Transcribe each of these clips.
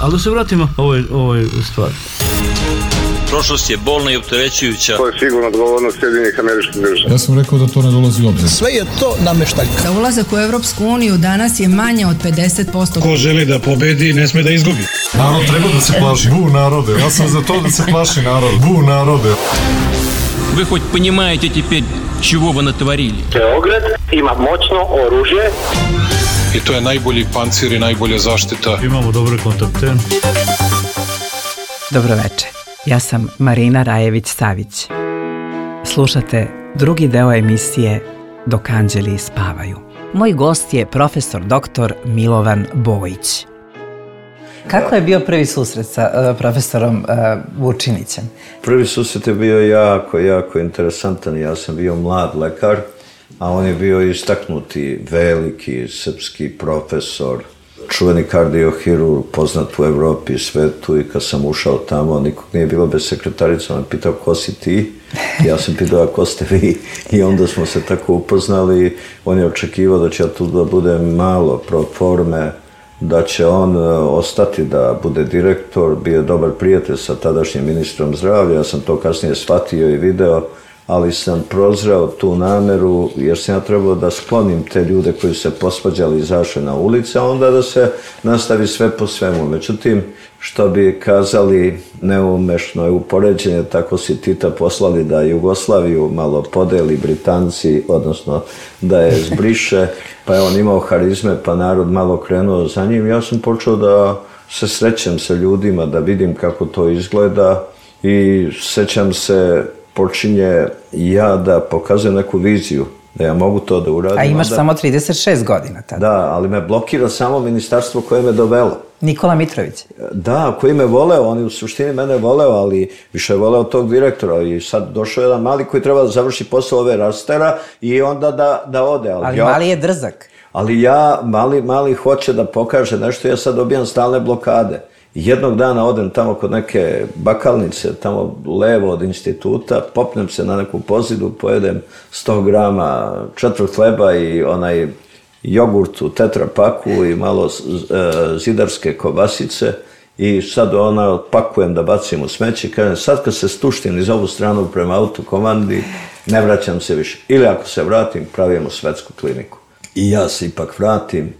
Ali da se vratimo ovoj stvari. Prošlost je bolna i opterećujuća. To je sigurno odgovornost Sjedinjenih Američkih Država. Ja sam rekao da to ne dolazi u obzir. Sve je to nameštaljka. Za ulazak u Evropsku uniju danas je manje od 50%. Ko želi da pobedi, ne sme da izgubi. Narod treba da se plaši. Bu narode. Ja sam za to da se plaši narod. Bu narode. Вы хоть понимаете теперь, чего вы натворили? Beograd ima moćno oružje. I to je najbolji pancir i najbolja zaštita. Imamo dobre kontakte. Dobro večer. Ja sam Marina Rajević-Savić. Slušate drugi deo emisije Dok anđeli spavaju. Moj gost je profesor dr. Milovan Bojić. Kako je bio prvi susret sa profesorom Vučinićem? Prvi susret je bio jako interesantan. Ja sam bio mlad lekar, a on je bio istaknuti, veliki srpski profesor, čuveni kardiohirurg, poznat u Evropi i svetu, i kad sam ušao tamo, nikog nije bilo bez sekretarice, on je pitao ko si ti, ja sam pitao a ko ste vi, i onda smo se tako upoznali. On je očekivao da će ja tu da budem malo pro forme, da će on ostati da bude direktor, bio je dobar prijatelj sa tadašnjim ministrom zdravlja, ja sam to kasnije shvatio i video, ali sam prozreo tu nameru jer sam ja trebao da sklonim te ljude koji se posvađali i izašli na ulice, a onda da se nastavi sve po svemu. Međutim, što bi kazali, neumešno je upoređenje, tako si Tita poslali da Jugoslaviju malo podeli Britanci, odnosno da je zbriše, pa je on imao harizme, pa narod malo krenuo za njim. Ja sam počeo da se srećem sa ljudima, da vidim kako to izgleda, i sećam se, počinje ja da pokazujem neku viziju, da ja mogu to da uradim. A imaš samo 36 godina tada. Da, ali me blokira samo ministarstvo koje me dovelo. Nikola Mitrović. Da, koji me voleo, on je u suštini mene voleo, ali više je voleo tog direktora, i sad došao jedan mali koji treba da završi posao ove rastera i onda da ode. Ali mali je drzak. Ali mali hoće da pokaže nešto, ja sad dobijam stalne blokade. Jednog dana odem tamo kod neke bakalnice, tamo levo od instituta, popnem se na neku pozidu, pojedem 100 grama četvrt hleba i onaj jogurt u tetrapaku i malo zidarske kobasice, i sad pakujem da bacim u smeće i kažem, sad kad se stuštim iz ovu stranu prema autokomandi, ne vraćam se više. Ili ako se vratim, pravimo svetsku kliniku. I ja se ipak vratim,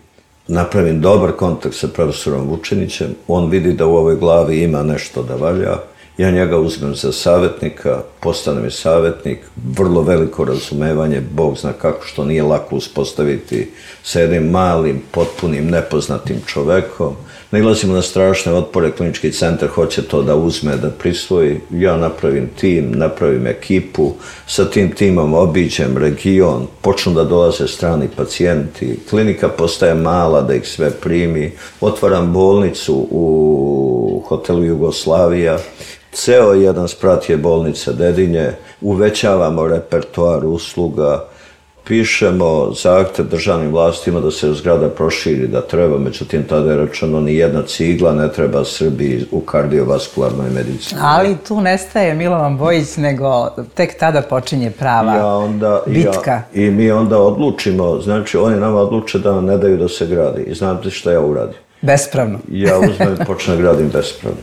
napravim dobar kontakt sa profesorom Vučinićem, on vidi da u ovoj glavi ima nešto da valja, ja njega uzmem za savjetnika, postane mi savjetnik, vrlo veliko razumevanje, Bog zna kako, što nije lako uspostaviti sa jednim malim, potpunim, nepoznatim čovekom. Nailazimo na strašne otpore, klinički centar hoće to da uzme, da prisvoji, ja napravim tim, napravim ekipu, sa tim timom obiđem region, počnu da dolaze strani pacijenti, klinika postaje mala da ih sve primi, otvaram bolnicu u hotelu Jugoslavija, ceo jedan sprat je bolnica Dedinje, uvećavamo repertoar usluga, pišemo zahtev državnim vlastima da se zgrada proširi, da treba, međutim tada je rečeno ni jedna cigla ne treba Srbiji u kardiovaskularnoj medicini. Ali tu nestaje Milovan Bojić, nego tek tada počinje prava bitka. I mi onda odlučimo, znači oni nama odluče da nam ne daju da se gradi. I znate šta ja uradim? Bespravno. Ja uzmem i počnem gradim bespravno.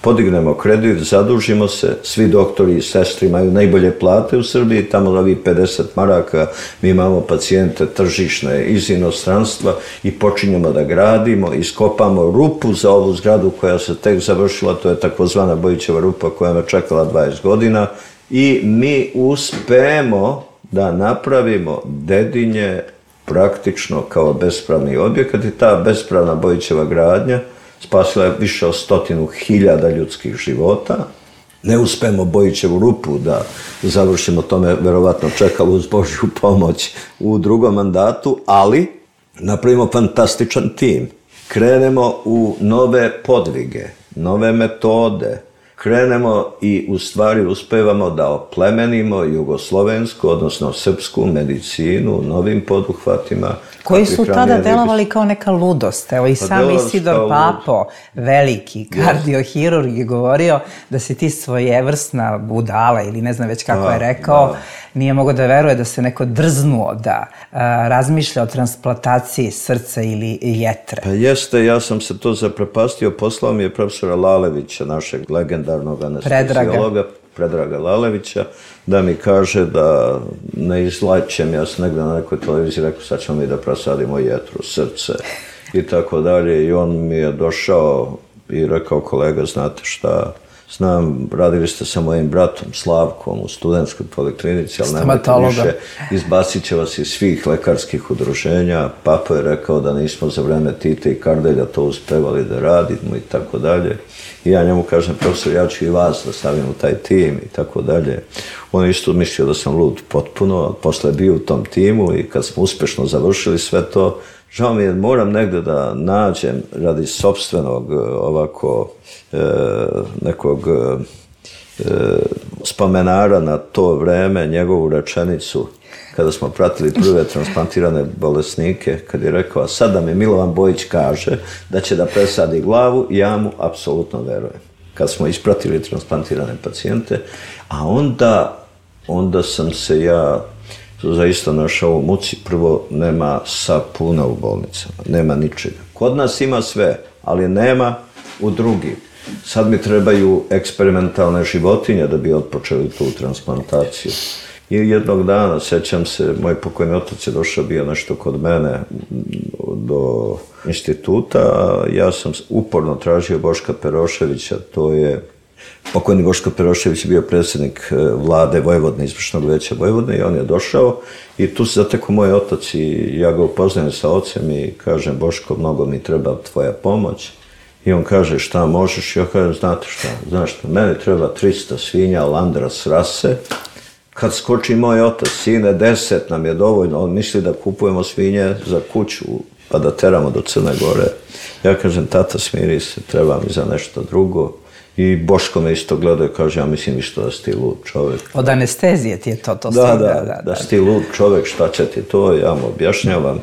Podignemo kredit, zadužimo se, svi doktori i sestri imaju najbolje plate u Srbiji, tamo ovi 50 maraka, mi imamo pacijente tržišne iz inostranstva i počinjemo da gradimo, iskopamo rupu za ovu zgradu koja se tek završila, to je takozvana Bojićeva rupa koja me čekala 20 godina, i mi uspemo da napravimo Dedinje praktično kao bespravni objekat, i ta bespravna Bojićeva gradnja spasila je više od 100.000 ljudskih života. Ne uspemo Bojićevu rupu da završimo, to me verovatno čekalo uz Božju pomoć u drugom mandatu, ali napravimo fantastičan tim. Krenemo u nove podvige, nove metode, krenemo i u stvari uspevamo da oplemenimo jugoslovensku, odnosno srpsku medicinu novim poduhvatima, koji su tada delovali kao neka ludost. Evo i sam Isidor Papo, veliki kardiohirurg, je govorio da si ti svojevrsna budala ili ne znam već kako je rekao, nije mogao da veruje da se neko drznuo da razmišlja o transplantaciji srca ili jetre. Pa jeste, ja sam se to zaprepastio, poslao mi je profesora Lalevića, našeg legendarnog anesteziologa, Predraga Lalevića, da mi kaže da ne izlačem, ja sam negdje na nekoj televiziji rekao sad ćemo mi da presadimo jetru, srce i tako dalje, i on mi je došao i rekao, kolega, znate šta, znam, radili ste sa mojim bratom Slavkom u studentskoj poliklinici, ali nemojte više, izbacit će vas iz svih lekarskih udruženja. Papo je rekao da nismo za vreme Tita i Kardelja to uspevali da radimo i tako dalje. I ja njemu kažem, profesor, ja ću i vas da stavim u taj tim i tako dalje. On je isto mislio da sam lud potpuno, a posle bio u tom timu i kad smo uspešno završili sve to, žao mi je, moram negde da nađem radi sopstvenog ovako nekog spomenara na to vreme, njegovu rečenicu kada smo pratili prve transplantirane bolesnike, kad je rekao, a sad da mi Milovan Bojić kaže da će da presadi glavu, ja mu apsolutno verujem. Kad smo ispratili transplantirane pacijente, a onda sam se ja zaista našao u muci. Prvo, nema sapuna u bolnicama, nema ničega. Kod nas ima sve, ali nema u drugim. Sad mi trebaju eksperimentalne životinje da bi otpočeli tu transplantaciju. I jednog dana, sećam se, moj pokojni otac je došao, bio nešto kod mene do instituta, a ja sam uporno tražio Boška Peroševića, to je pokojni Boško Perošević je bio predsjednik vlade Vojvodne, izvršnog veća Vojvodne, i on je došao i tu se zatekao moj otac i ja ga upoznajem sa ocem i kažem, Boško, mnogo mi treba tvoja pomoć. I on kaže, šta možeš? Ja kažem, znate šta, znaš šta, meni treba 300 svinja Landras rase. Kad skoči moj otac, sine, 10 nam je dovoljno, on misli da kupujemo svinje za kuću pa da teramo do Crne Gore. Ja kažem, tata, smiri se, treba mi za nešto drugo. I Boško me isto gleda i kaže, ja mislim isto da si ti lud čovjek. Od anestezije ti je to Da si ti lud čovjek, šta će ti to, ja mu objašnjavam.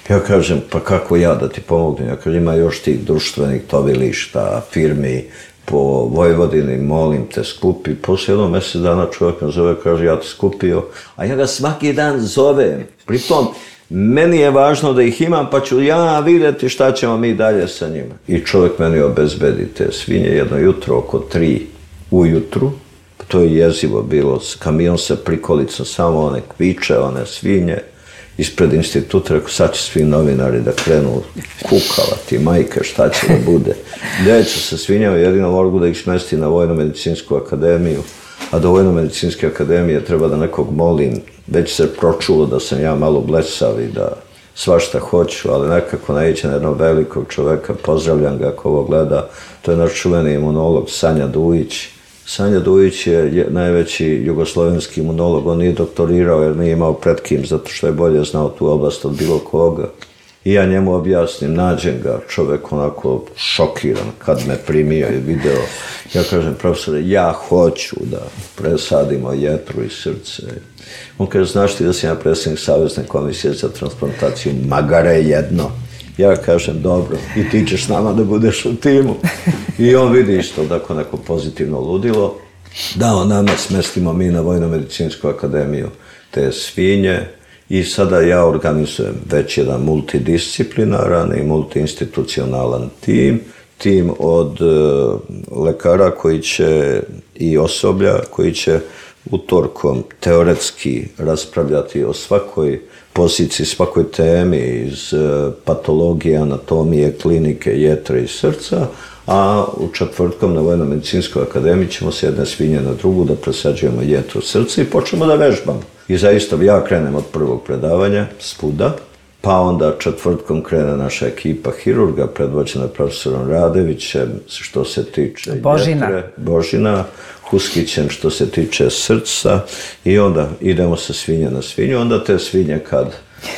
Ja kažem, pa kako ja da ti pomognem? Ja kažem, ima još tih društvenih tovilišta, firmi po Vojvodini, molim te, skupi. Poslije jednog mjesec dana čovjek me zove, kaže, ja te skupio, a ja ga svaki dan zovem. Pritom, meni je važno da ih imam, pa ću ja vidjeti šta ćemo mi dalje sa njima. I čovjek meni obezbedi te svinje jedno jutro, oko 3 ujutru. To je jezivo bilo, kamion sa prikolicom, samo one kviče, one svinje. Ispred instituta, rekao, sad će svi novinari da krenu kukavati, majke, šta će da bude. Gdje će se svinjama, jedino mogu da ih smesti na Vojno-medicinsku akademiju, a do Vojno-medicinske akademije treba da nekog molim. Već se pročulo da sam ja malo blesav i da svašta hoću, ali nekako naiđe na jednog velikog čoveka, pozdravljam ga ako ovo gleda, to je naš čuveni imunolog Sanja Dujić. Sanja Dujić je najveći jugoslovenski imunolog, on nije doktorirao jer nije imao pred kim, zato što je bolje znao tu oblast od bilo koga. I ja njemu objasnim, nađem ga, čovjek onako šokiran kad me primio i video. Ja kažem, profesore, ja hoću da presadimo jetru i srce. On kaže, znaš ti da sam ja predsjednik Savezne komisije za transplantaciju, magare jedno. Ja kažem, dobro, i ti ćeš s nama da budeš u timu. I on vidi isto tako neko pozitivno ludilo. Da, nama smestimo mi na Vojno-medicinsku akademiju te svinje i sada ja organizujem već jedan multidisciplinaran i multiinstitucionalan tim od lekara koji će i osoblja koji će utorkom teoretski raspravljati o svakoj poziciji, svakoj temi iz patologije, anatomije, klinike, jetre i srca, a u četvrtkom na Vojno-medicinskoj akademiji ćemo s jedne svinje na drugu da presađujemo jetru srca i počnemo da vežbamo. I zaista ja krenem od prvog predavanja, svuda, pa onda četvrtkom krene naša ekipa hirurga, predvođena profesorom Radevićem, što se tiče jetre, Božina, Huskićem što se tiče srca i onda idemo sa svinje na svinju. Onda te svinje kad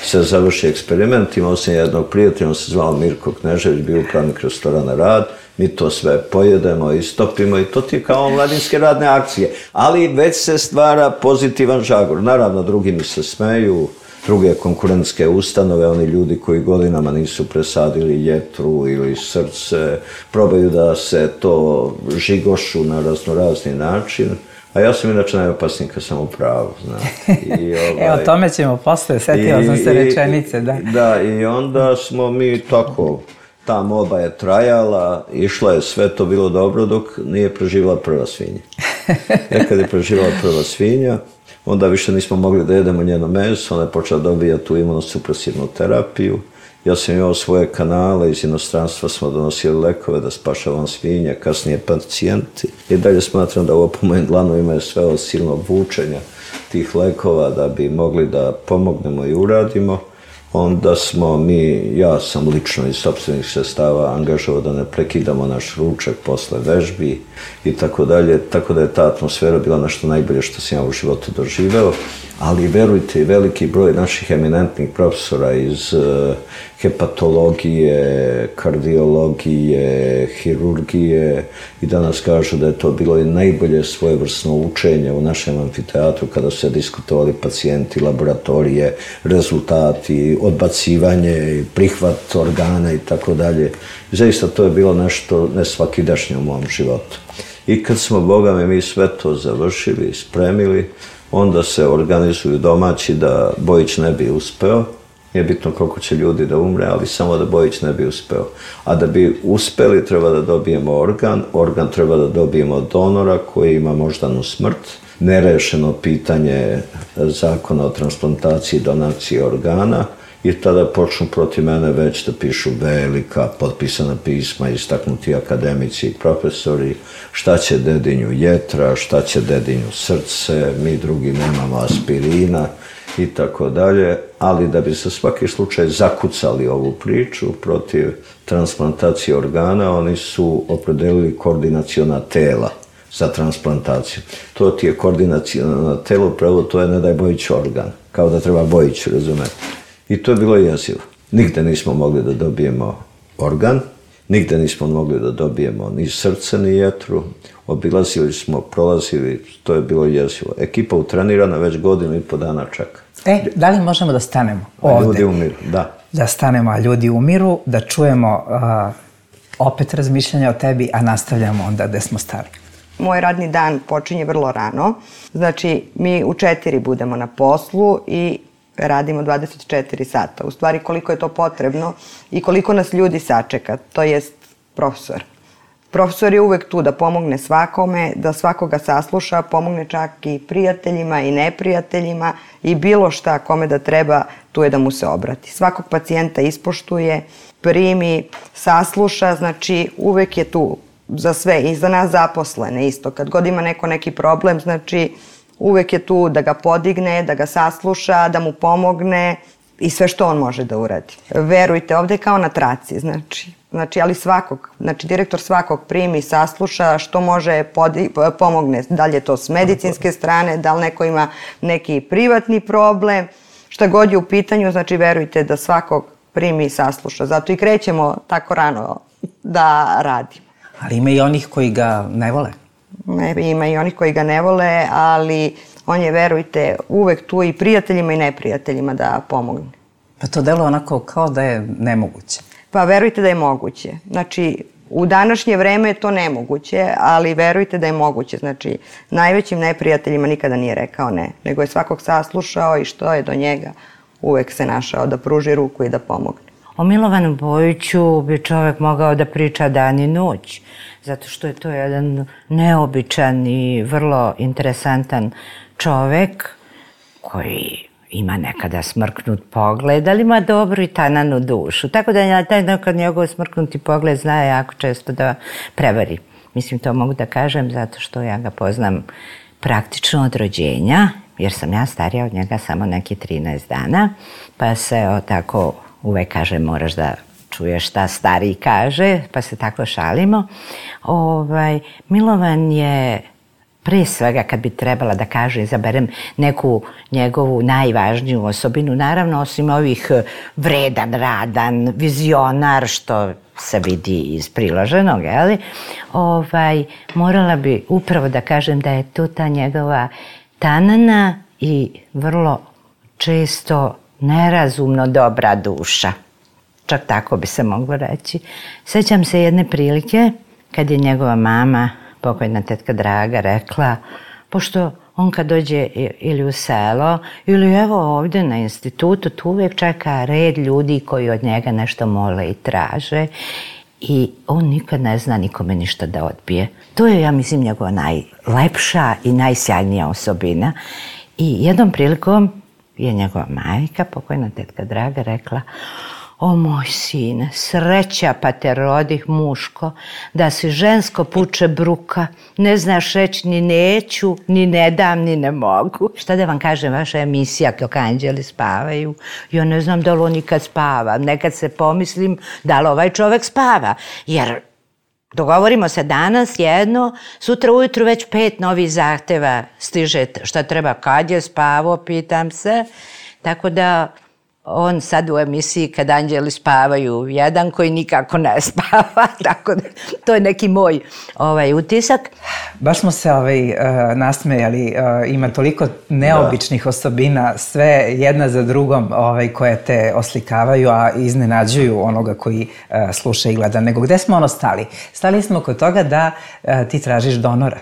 se završi eksperiment, imao sam jednog prijatelja, on se zvao Mirko Knežević, bio upravnik restorana Rad, mi to sve pojedemo i stopimo i to ti je kao omladinske radne akcije. Ali već se stvara pozitivan žagor. Naravno, drugi mi se smeju, druge konkurentske ustanove, oni ljudi koji godinama nisu presadili jetru ili srce, probaju da se to žigošu na raznorazni način. A ja sam inače najopasniji kad sam u pravu, znate. Evo, tome ćemo posle, setio sam se rečenice, da. Da, i onda smo mi tako, ta molba je trajala, išla je, sve to bilo dobro dok nije preživjela prva svinja. Kad je preživjela prva svinja, onda više nismo mogli da jedemo njeno meso, ona je počela dobijati tu imunosupresivnu terapiju. Ja sam imao svoje kanale, iz inostranstva smo donosili lekove da spašavam svinje, kasnije pacijenti. I dalje smatram da ovo po mojim dlanovima je sve od silnog vučenja tih lekova da bi mogli da pomognemo i uradimo. Onda smo ja sam lično iz sopstvenih sredstava angažovao da ne prekidamo naš ručak posle vežbi i tako dalje. Tako da je ta atmosfera bila nešto najbolje što sam ja u životu doživeo. Ali verujte, veliki broj naših eminentnih profesora iz hepatologije, kardiologije, hirurgije i danas kažu da je to bilo i najbolje svojevrsno učenje u našem amfiteatru kada su se diskutovali pacijenti, laboratorije, rezultati, odbacivanje, prihvat organa i tako dalje. Zaista to je bilo nešto nesvakidašnje u mom životu. I kad smo, Boga mi sve to završili i spremili, onda se organizuju domaći da Bojić ne bi uspeo. Nije bitno koliko će ljudi da umre, ali samo da Bojić ne bi uspeo. A da bi uspeli treba da dobijemo organ treba da dobijemo donora koji ima moždanu smrt, nerešeno pitanje zakona o transplantaciji i donaciji organa i tada počnu protiv mene već da pišu velika potpisana pisma, istaknuti akademici i profesori, šta će dedinju jetra, šta će dedinju srce, mi drugi nemamo aspirina i tako dalje, ali da bi za svaki slučaj zakucali ovu priču protiv transplantacije organa, oni su opredelili koordinaciona tela za transplantaciju. To ti je koordinaciona telo, pravo to je ne daj Bojić organ, kao da treba Bojić, razumete. I to je bilo jezivo. Nigde nismo mogli da dobijemo organ, nigde nismo mogli da dobijemo ni srce, ni jetru. Obilazili smo, prolazili, to je bilo jezivo. Ekipa utrenirana već 1,5 dana čeka. Da li možemo da stanemo ovde? Ljudi umiru, da. Da stanemo, a ljudi umiru, da čujemo opet razmišljanja o tebi, a nastavljamo onda gde smo stali. Moj radni dan počinje vrlo rano. Znači, mi u 4 budemo na poslu i radimo 24 sata. U stvari, koliko je to potrebno i koliko nas ljudi sačeka, to jest profesor. Profesor je uvek tu da pomogne svakome, da svakoga sasluša, pomogne čak i prijateljima i neprijateljima i bilo šta kome da treba, tu je da mu se obrati. Svakog pacijenta ispoštuje, primi, sasluša, znači uvek je tu za sve i za nas zaposlene isto. Kad god ima neko neki problem, znači uvek je tu da ga podigne, da ga sasluša, da mu pomogne i sve što on može da uradi. Verujte, ovde je kao na traci, znači, ali svakog, znači direktor svakog primi, sasluša, što može pomogne, da li je to s medicinske strane, da li neko ima neki privatni problem, šta god je u pitanju, znači verujte da svakog primi i sasluša. Zato i krećemo tako rano da radimo. Ali ima i onih koji ga ne vole. Ima i onih koji ga ne vole, ali on je, verujte, uvek tu i prijateljima i neprijateljima da pomogne. Pa to deluje onako kao da je nemoguće. Pa verujte da je moguće. Znači, u današnje vreme je to nemoguće, ali verujte da je moguće. Znači, najvećim neprijateljima nikada nije rekao ne, nego je svakog saslušao i što je do njega uvek se našao da pruži ruku i da pomogne. O Milovanu Bojiću bi čovek mogao da priča dan i noć, zato što je to jedan neobičan i vrlo interesantan čovek koji ima nekada smrknut pogled, ali ima dobru i tananu dušu. Tako da na taj nekad njegov smrknuti pogled zna jako često da prevari. Mislim, to mogu da kažem zato što ja ga poznam praktično od rođenja, jer sam ja starija od njega samo neki 13 dana, pa se tako uvek kaže moraš da čuješ šta stariji kaže, pa se tako šalimo. Milovan je pre svega, kad bi trebala da kaže, izaberem neku njegovu najvažniju osobinu, naravno osim ovih vredan, radan, vizionar, što se vidi iz priloženog, morala bi upravo da kažem da je tu ta njegova tanana i vrlo često nerazumno dobra duša. Čak tako bi se moglo reći. Sjećam se jedne prilike kad je njegova mama, pokojna tetka Draga, rekla, pošto on kad dođe ili u selo ili evo ovdje na institutu, tu uvijek čeka red ljudi koji od njega nešto mole i traže i on nikad ne zna nikome ništa da odbije. To je, ja mislim, njegova najlepša i najsjajnija osobina. I jednom prilikom je njegova majka, pokojna tetka Draga, rekla, o moj sine, sreća pa te rodih muško, da si žensko puče bruka, ne znaš reći ni neću, ni ne dam, ni ne mogu. Šta da vam kažem, vaša emisija kako anđeli spavaju, ja ne znam da li on nikad spava, nekad se pomislim da li ovaj čovek spava, jer dogovorimo se danas jedno, sutra ujutru već 5 novih zahteva stiže šta treba, kad je spavao, pitam se, tako da on sad u emisiji kad anđeli spavaju, jedan koji nikako ne spava, tako da to je neki moj utisak. Baš smo se nasmejali, ima toliko neobičnih osobina, sve jedna za drugom koje te oslikavaju, a iznenađuju onoga koji sluša i gleda. Nego gde smo stali? Stali smo kod toga da ti tražiš donora.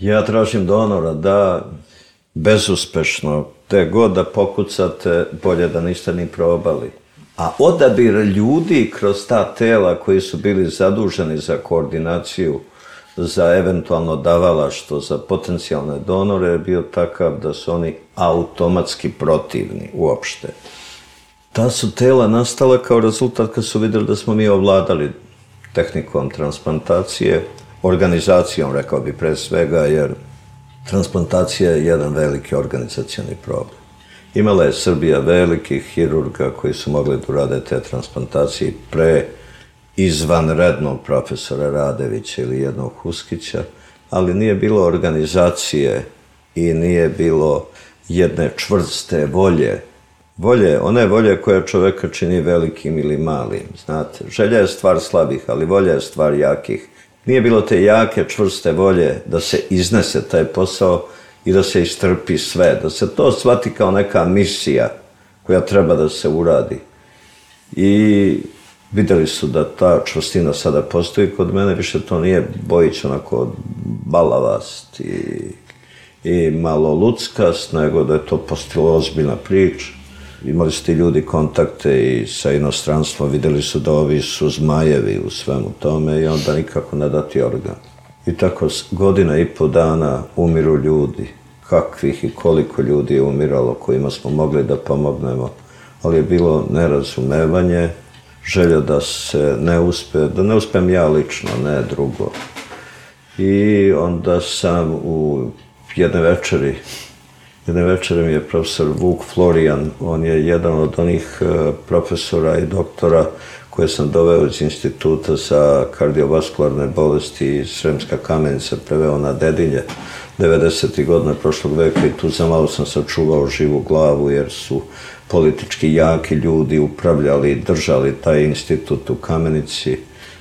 Ja tražim donora, da, bezuspešno. Te god da pokucate, bolje da niste ni probali. A odabir ljudi kroz ta tela koji su bili zaduženi za koordinaciju, za eventualno davalaštvo, za potencijalne donore je bio takav da su oni automatski protivni uopšte. Ta su tela nastala kao rezultat kad su vidjeli da smo mi ovladali tehnikom transplantacije, organizacijom, rekao bi pre svega, jer transplantacija je jedan veliki organizacioni problem. Imala je Srbija velikih hirurga koji su mogli da urade te transplantacije pre izvanrednog profesora Radevića ili jednog Huskića, ali nije bilo organizacije i nije bilo jedne čvrste volje. One volje koja čoveka čini velikim ili malim, znate. Želja je stvar slabih, ali volja je stvar jakih. Nije bilo te jake, čvrste volje da se iznese taj posao i da se istrpi sve, da se to shvati kao neka misija koja treba da se uradi. I vidjeli su da ta čvrstina sada postoji kod mene, više to nije Bojić onako balavast i malo luckast, nego da je to postalo ozbiljna priča. Imali su ti ljudi kontakte i sa inostranstvom, vidjeli su da ovi su zmajevi u svemu tome i onda nikako ne dati organ. I tako 1,5 dana umiru ljudi. Kakvih i koliko ljudi je umiralo kojima smo mogli da pomognemo, ali je bilo nerazumevanje, želja da se ne uspe, da ne uspem ja lično, ne drugo. I onda sam u jedne večeri mi je profesor Vuk Florijan, on je jedan od onih profesora i doktora koje sam doveo iz instituta za kardiovaskularne bolesti iz Sremska Kamenica, preveo na Dedinje 90. godina prošlog veka i tu zamalo sam sačuvao živu glavu jer su politički jaki ljudi upravljali i držali taj institut u Kamenici.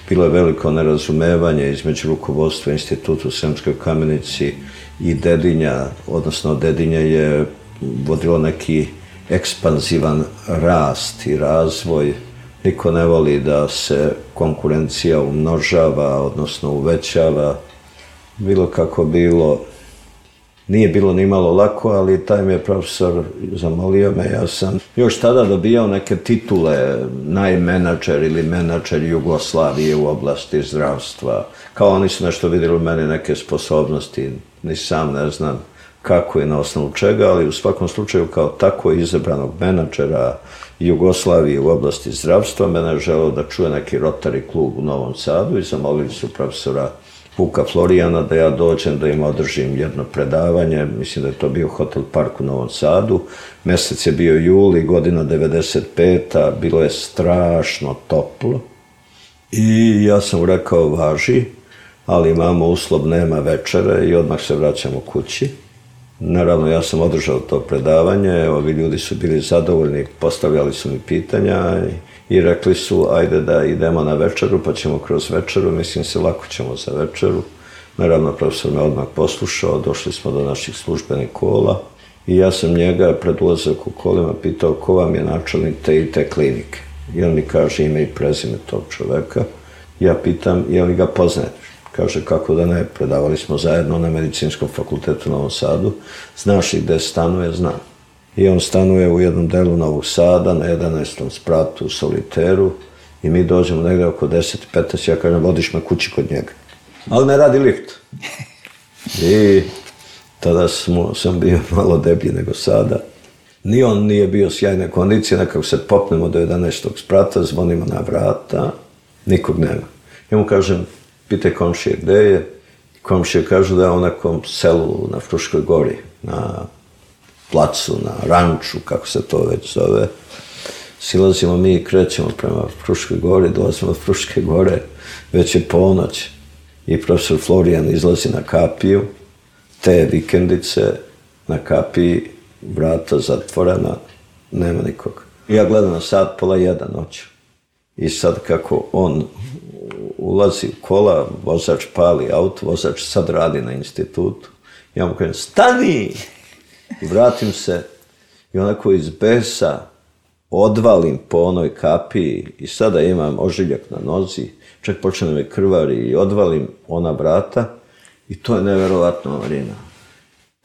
Bilo je veliko nerazumevanje između rukovodstva instituta u Sremskoj Kamenici i Dedinja, odnosno Dedinje je vodilo neki ekspanzivan rast i razvoj. Niko ne voli da se konkurencija umnožava, odnosno uvećava. Bilo kako bilo, nije bilo ni malo lako, ali taj mi je profesor zamolio me. Ja sam još tada dobijao neke titule, najmenadžer ili menadžer Jugoslavije u oblasti zdravstva. Kao oni su nešto vidjeli u meni, neke sposobnosti, ni sam ne znam kako i na osnovu čega, ali u svakom slučaju kao tako izabranog menadžera Jugoslavije u oblasti zdravstva, mene je želeo da čuje neki Rotary klub u Novom Sadu i zamolili su profesora Vuka Florijana da ja dođem da im održim jedno predavanje, mislim da je to bio Hotel Park u Novom Sadu, mesec je bio juli, godina 95. Bilo je strašno toplo i ja sam rekao važi, ali imamo uslov, nema večere i odmah se vraćamo kući. Naravno, ja sam održao to predavanje, ovi ljudi su bili zadovoljni, postavljali su mi pitanja i rekli su, ajde da idemo na večeru, pa ćemo kroz večeru, mislim se, lako ćemo za večeru. Naravno, profesor me odmah poslušao, došli smo do naših službenih kola I ja sam njega pred ulazak u kolima pitao ko vam je načelnik te i te klinike. I on mi kaže ime i prezime tog čoveka. Ja pitam je li ga poznaješ? Kaže kako da ne, predavali smo zajedno na Medicinskom fakultetu u Novom Sadu. Znaš li gde stanuje? Znam. I on stanuje u jednom delu Novog Sada, na 11. spratu u Soliteru. I mi dođemo negde oko 10-15, ja kažem, vodiš me kući kod njega. Ali ne radi lift. I tada sam bio malo deblji nego sada. Ni on nije bio sjajne kondicije, nekako se popnemo do 11. sprata, zvonimo na vrata, nikog nema. Ja mu kažem, pitaj komšije gde je. Komšije kažu da je u nekom selu na Fruškoj gori, na placu, na ranču, kako se to već zove. Silazimo mi i krećemo prema Fruškoj gori, dolazimo od Fruške gore, već je ponoć i profesor Florijan izlazi na kapiju, te vikendice, na kapiji, vrata zatvorena, nema nikog. Ja gledam na sat, 12:30 noću. I sad kako on ulazi u kola, vozač pali auto, vozač sad radi na institutu, ja mu kažem, stani! I vratim se i onako iz besa odvalim po onoj kapiji i sada imam ožiljak na nozi, čak počne me krvari i odvalim ona vrata i to je neverovatno, Marina.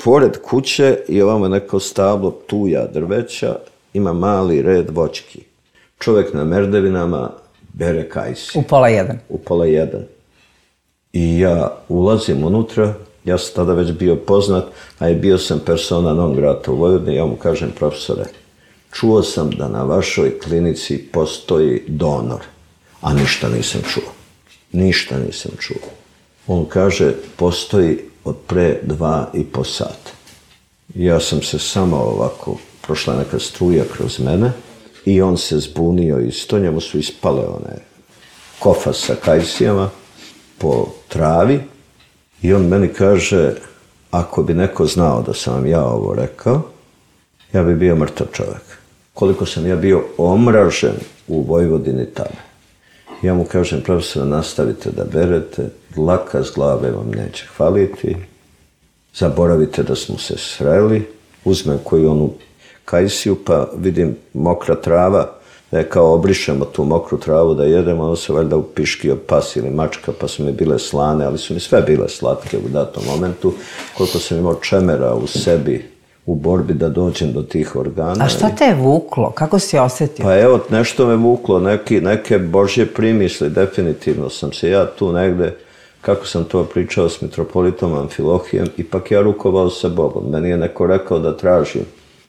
Pored kuće i ovamo je neko stablo tuja drveća, ima mali red voćki. Čovjek na merdevinama bere kajsi. U 12:30. U 12:30. I ja ulazim unutra, ja sam tada već bio poznat, a i bio sam persona non grata u Vojvodini, ja mu kažem, profesore, čuo sam da na vašoj klinici postoji donor, a ništa nisam čuo. Ništa nisam čuo. On kaže, postoji od pre 2,5 sata. Ja sam se samo ovako, prošla neka struja kroz mene i on se zbunio isto, njemu su ispale one kofa sa kajsijama po travi i on meni kaže, ako bi neko znao da sam vam ja ovo rekao, ja bi bio mrtav čovjek. Koliko sam ja bio omražen u Vojvodini tada. Ja mu kažem, profesor, nastavite da berete, dlaka s glave vam neće hvaliti, zaboravite da smo se sreli, uzmem koju onu kajsiju, pa vidim mokra trava, da je kao obrišemo tu mokru travu da jedemo, ono se valjda upiškio pas ili mačka, pa su mi bile slane, ali su mi sve bile slatke u datom momentu, koliko sam imao čemera u sebi, u borbi da dođem do tih organa. A šta te je vuklo? Kako si osjetio? Pa evo, nešto me vuklo, neke božje primisli, definitivno sam se ja tu negde, kako sam to pričao s mitropolitom Amfilohijem, ipak ja rukovao sa Bogom. Meni je neko rekao da tražim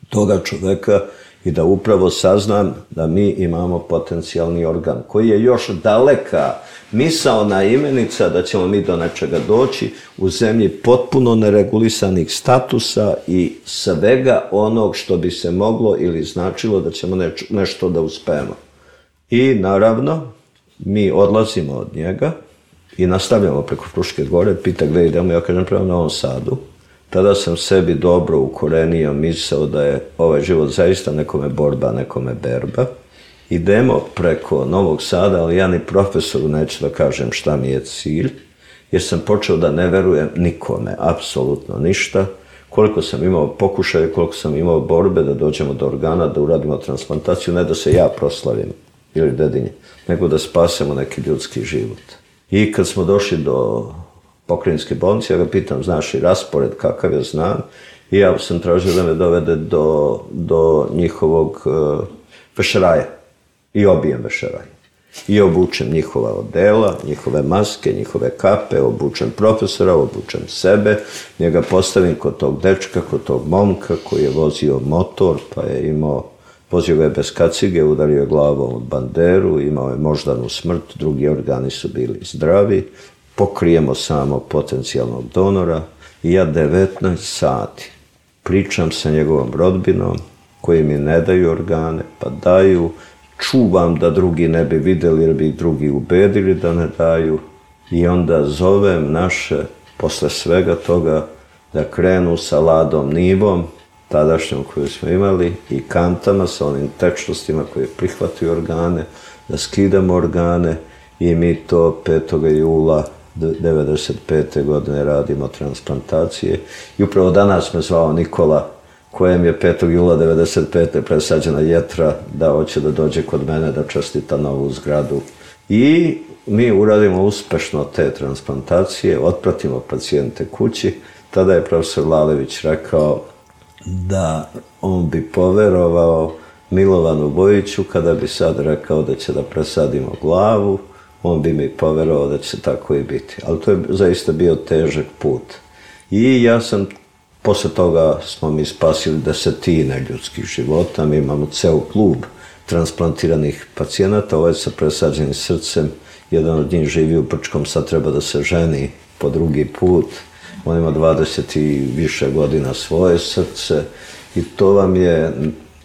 toga čoveka i da upravo saznam da mi imamo potencijalni organ, koji je još daleka misaona imenica da ćemo mi do nečega doći u zemlji potpuno neregulisanih statusa i svega onog što bi se moglo ili značilo da ćemo nešto da uspemo. I naravno, mi odlazimo od njega i nastavljamo preko Fruške gore, pita gde idemo, ja kažem prema Novom Sadu. Tada sam sebi dobro ukorenio misao da je ovaj život zaista nekome borba, nekome berba. Idemo preko Novog Sada, ali ja ni profesoru neću da kažem šta mi je cilj, jer sam počeo da ne verujem nikome, apsolutno ništa. Koliko sam imao pokušaja, koliko sam imao borbe da dođemo do organa, da uradimo transplantaciju, ne da se ja proslavim ili dedinje, nego da spasemo neki ljudski život. I kad smo došli do pokrajinske bolnice, ja ga pitam, znaš i raspored kakav je, znam, i ja sam tražio da me dovede do njihovog vešeraja i obijem vešeraj. I obučem njihova odela, njihove maske, njihove kape, obučem profesora, obučem sebe, njega postavim kod tog dečka, kod tog momka koji je vozio motor, pa je vozio ga je bez kacige, udario je glavom od banderu, imao je moždanu smrt, drugi organi su bili zdravi, pokrijemo samo potencijalnog donora i ja 19 sati pričam sa njegovom rodbinom koji mi ne daju organe, pa daju, čuvam da drugi ne bi videli jer bi ih drugi ubedili da ne daju i onda zovem naše, posle svega toga, da krenu sa Ladom Nivom, tadašnjom koju smo imali, i kantama sa onim tečnostima koje prihvataju organe, da skidamo organe i mi to 5. jula 1995. godine radimo transplantacije. I upravo danas me zvao Nikola kojem je 5. jula 1995. presađena jetra, da hoće da dođe kod mene da čestita novu zgradu. I mi uradimo uspešno te transplantacije, otpratimo pacijente kući. Tada je profesor Lalević rekao da on bi poverovao Milovanu Bojiću kada bi sad rekao da će da presadimo glavu, on bi mi poverovao da će tako i biti. Ali to je zaista bio težak put. I ja sam, posle toga smo mi spasili desetine ljudskih života, mi imamo ceo klub transplantiranih pacijenata, ovaj sa presađenim srcem, jedan od njih živi u Brčkom, sad treba da se ženi po drugi put, on ima 20 i više godina svoje srce i to vam je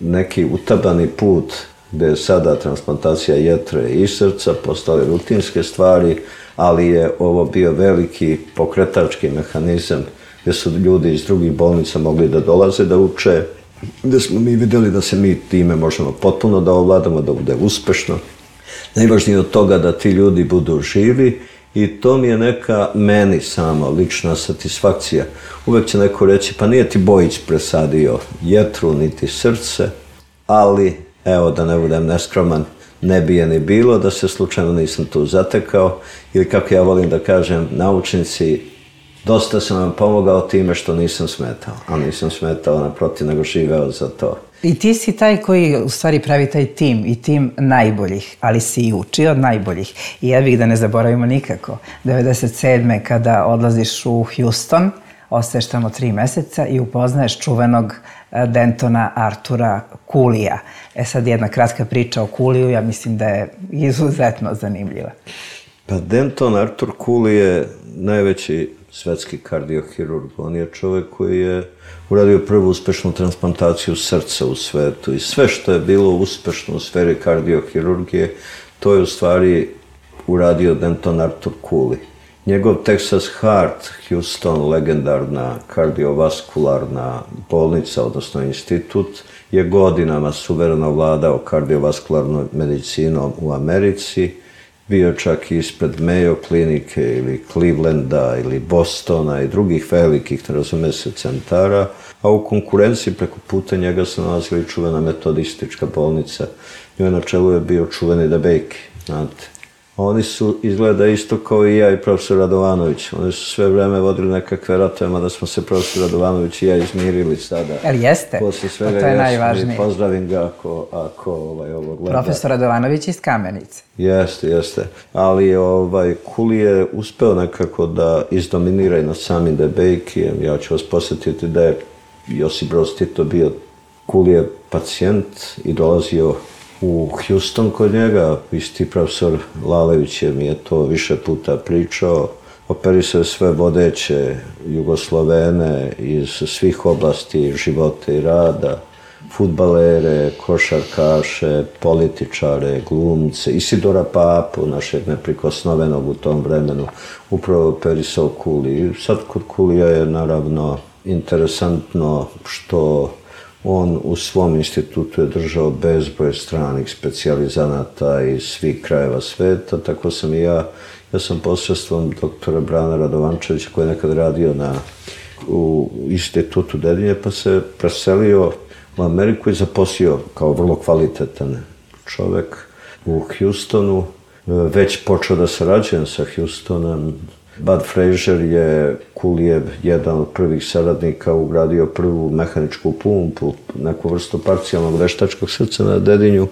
neki utabani put gde je sada transplantacija jetre i srca postale rutinske stvari, ali je ovo bio veliki pokretački mehanizam gde su ljudi iz drugih bolnica mogli da dolaze da uče, gde smo mi videli da se mi time možemo potpuno da ovladamo, da bude uspešno. Najvažnije od toga da ti ljudi budu živi i to mi je neka meni sama lična satisfakcija. Uvek će neko reći, pa nije ti Bojić presadio jetru niti srce, ali evo da ne budem neskroman, ne bi je ni bilo da se slučajno nisam tu zatekao ili kako ja volim da kažem, naučnici, dosta sam vam pomogao time što nisam smetao, a nisam smetao naprotiv nego živeo za to. I ti si taj koji u stvari pravi taj tim i tim najboljih, ali si i učio od najboljih. I ja bih da ne zaboravimo nikako, 97. kada odlaziš u Houston, ostaješ tamo 3 meseca i upoznaješ čuvenog Dentona Artura Cooleyja. Sad jedna kratka priča o Cooleyju, ja mislim da je izuzetno zanimljiva. Pa Denton Arthur Cooley je najveći svetski kardiohirurg. On je čovek koji je uradio prvu uspešnu transplantaciju srca u svetu i sve što je bilo uspešno u sferi kardiohirurgije, to je u stvari uradio Denton Arthur Cooley. Njegov Texas Heart, Houston, legendarna kardiovaskularna bolnica, odnosno institut, je godinama suvereno vladao kardiovaskularnom medicinom u Americi, bio čak i ispred Mayo klinike ili Clevelanda ili Bostona i drugih velikih, ne razume se, centara, a u konkurenciji preko puta njega se nalazila i čuvena metodistička bolnica. Njoj na čelu je bio čuveni DeBakey, znate. Oni su izgleda isto kao i ja i profesor Radovanović. Oni su sve vreme vodili nekakve ratove, mada smo se profesor Radovanović i ja izmirili sada. Ali jeste, posle svega to je najvažnije. Pozdravim ga ako ovo gleda. Profesor Radovanović iz Kamenice. Jeste. Ali Cooley je uspeo nekako da izdominira i nad samim DeBakeyem. Ja ću vas posjetiti da je Josip Broz Tito bio Cooleyjev pacijent i dolazio u Houston kod njega. Isti profesor Lalević mi je to više puta pričao. Operisao sve vodeće Jugoslovene iz svih oblasti života i rada, fudbalere, košarkaše, političare, glumce, Isidora Papu, našeg neprikosnovenog u tom vremenu, upravo operisao Cooley. Sad kod Cooleyja je naravno interesantno što on u svom institutu je držao bezbroj stranih specijalizanata iz svih krajeva sveta, tako sam i ja sam posredstvom doktora Brana Radovančevića koji je nekad radio u institutu Dedinje, pa se preselio u Ameriku i zaposlio kao vrlo kvalitetan čovek u Houstonu. Već počeo da sarađujem sa Houstonom. Bud Frazier je Cooleyjev jedan od prvih saradnika ugradio prvu mehaničku pumpu, neku vrstu parcijalnog veštačkog srca na Dedinju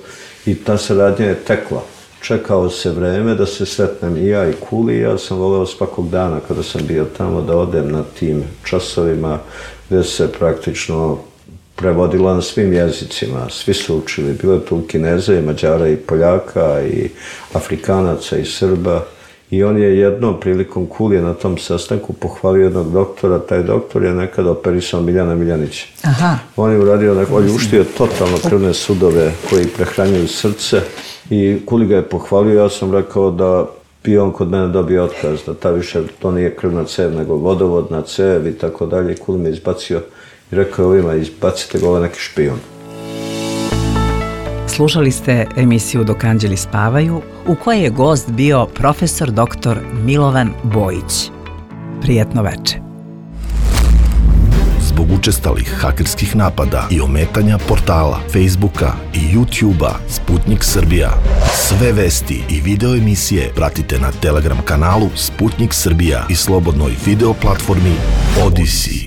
i ta saradnja je tekla. Čekao se vreme da se sretnem i ja i Cooley. Ja sam voleo svakog dana kada sam bio tamo da odem na tim časovima gde se praktično prevodila na svim jezicima. Svi su učili, bilo je tu Kineza i Mađara i Poljaka i Afrikanaca i Srba. I on je jednom prilikom Cooleyja na tom sastanku pohvalio jednog doktora. Taj doktor je nekada operisao Miljana Miljanića. Aha. On je uradio, on je uštio totalno krvne sudove koji prehranjuju srce i Cooley ga je pohvalio. Ja sam rekao da bi on kod mene dobio otkaz, da ta više to nije krvna cev, nego vodovodna cev i tako dalje. Cooley me izbacio i rekao ovima, izbacite ga, ovo neki špijun. Slušali ste emisiju Dok anđeli spavaju, u kojoj je gost bio profesor dr. Milovan Bojić. Prijetno veče. zbog učestalih hakerskih napada i ometanja portala, Facebooka i YouTubea Sputnik Srbija. Sve vesti i video emisije pratite na Telegram kanalu Sputnik Srbija i slobodnoj video platformi Odyssey.